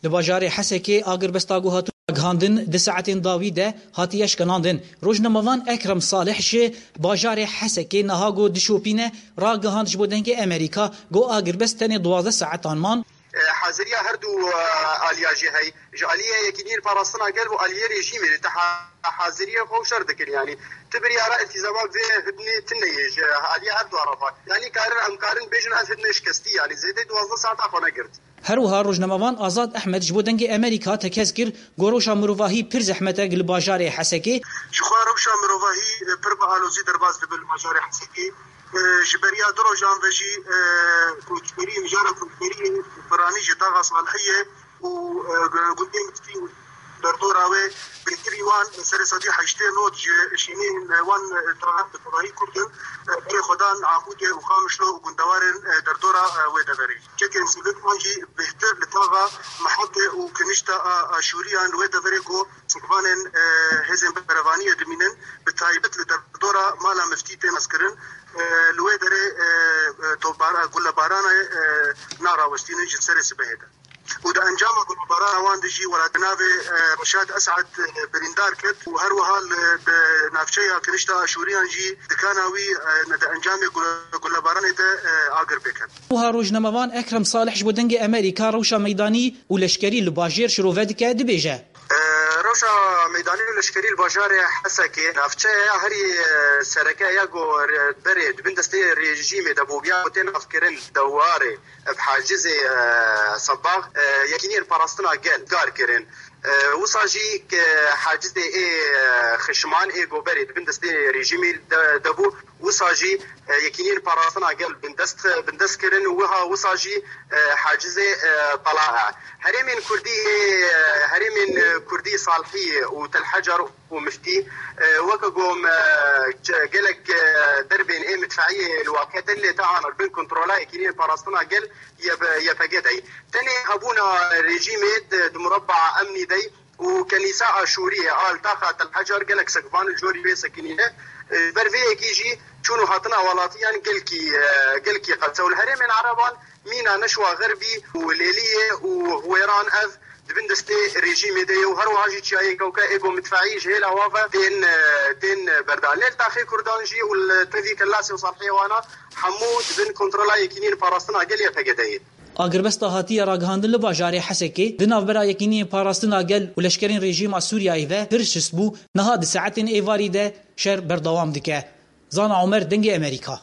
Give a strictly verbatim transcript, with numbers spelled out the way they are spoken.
Li bajarê Hesekê agirbesta ku hatibû ragihandin di saetên dawî de hatiye şikinandin. Rojnamevan Ekrem Salih ji bajarê Hesekê niha ku dişopîne ragihand ji bo Dengê Amerîka ku agirbest tenê duwazdeh saetan man. E, haziriya her du, e, aliya jî hey. Ji aliyê Yekîniyên Parastina Gel û aliyê rejîmê li te ha-, haziriyê xwe û şer dikin, yanî. Ti biryara îltîzama vê hidnê tune ye ji aliya her du tarafa. Yanî karin, em karin bêjin ev hidne şikestî, yanî zêdê duwazdeh saeta xwe negirt. Her wiha rojnamevan Azad Ehmed ji bo Dengê Amerîka tekez kir ku rewşa mirovahî pir zehmet e li bajarê Hesekê. Ji xwe rewşa mirovahî, e, pir bi alozî derbas dibe li bajarê Hesekê. E, ji beriya du rojan ve jî, e, koçberî, mijara koçberî piranî ji taxa Salihiyê û, e, gundê Miftî û derdora wê bêtirî wan serê sedî heştê not ji şînên wan, e, taxa bi tevahî Kurd in, e, berê xwe dan Amûdê û Qamişlo û gundewarên, e, derdora, e, wê deverê. Çekên sivik wan jî bêhtir li taxa Mehete û kinişta a Aşûriyan li wê deverê ku sikvanên, e, hêzên berevaniyê dimînin, bi taybet li derdora mala Miftî tê naskirin, e, li wê derê, e, e, topbara-, gulebarana, e, narawestînin ji serê sibehê de. Û di encama gulebarana wan de jî welatnavê, e, Reşad Esad, e, birîndar ket û her wiha li, di navçeya kinişta Aşûriyan jî dikana wî, e, di encamê gule-, gulebaranê de, e, agir pê ket. Wiha rojnamevan Ekrem Salih ji bo Dengê Amerîka rewşa meydanî û leşkerî li bajêr şirove dike, dibêje. E, rewşa meydanî û leşkerî li bajarê Hesekê, navçeya herî, e, sereke ya ku re-, berê di bin destê rejîmê de bû, ya ku tê navkirin dewarê, bi hacizê, e, Sebax, e, Yekîniyên Parastina Gel kar kirin. E, wisa jî ke hacizê ê, e, xişman ê ku berê di bin destê rejîmê de, de bû, wisa jî, e, Yekîniyên Parastina Gel bindest, bindest kirin û wiha wisa jî, e, hacizê, e, Talaha. Herêmên Kurdî ê, e, herêmên, e, Kurdî Salhiyê û Tel Hecer û Miftî, e, weke ku me, e, gelek, e, derbên ê midfeiyê li Waketin lê te anin bin kontrola Yekîniyên Parastina Gel Y P G dey. Tenê hebûna rejîmê di, di murabaa emnî dey û kenîsa Aşûriyê a li taxa Tel Hecer gelek sekvan li jorî wê sekinîne. E, ber vê yekî jî çûn û hatina welatiyan gelkî, e, gelkî qet e. Û li herêmên Ereban mîna Neşwa Xerbî û Lêliyê û Huwêran ev di bin destê rejîmê de ye û her wiha jî çiyayê Kewke ê ku midfeî ji hêla wan ve tên, e, tên berdan. Lê li taxê Kurdan jî û li tevî Kellasê û Salhiyê wana hemû di bin kontrola Yekîniyên Parastina Gel Y P G de ye. Agirbesta hatiye ragihandin li bajarê Hesekê di navbera Yekîniyên Parastina Gel û leşkerên rejîma Sûriyeyê ve pir şist bû, niha di saetên êvarî de şer berdewam dike. Zana Omer, Dengê Amerîka.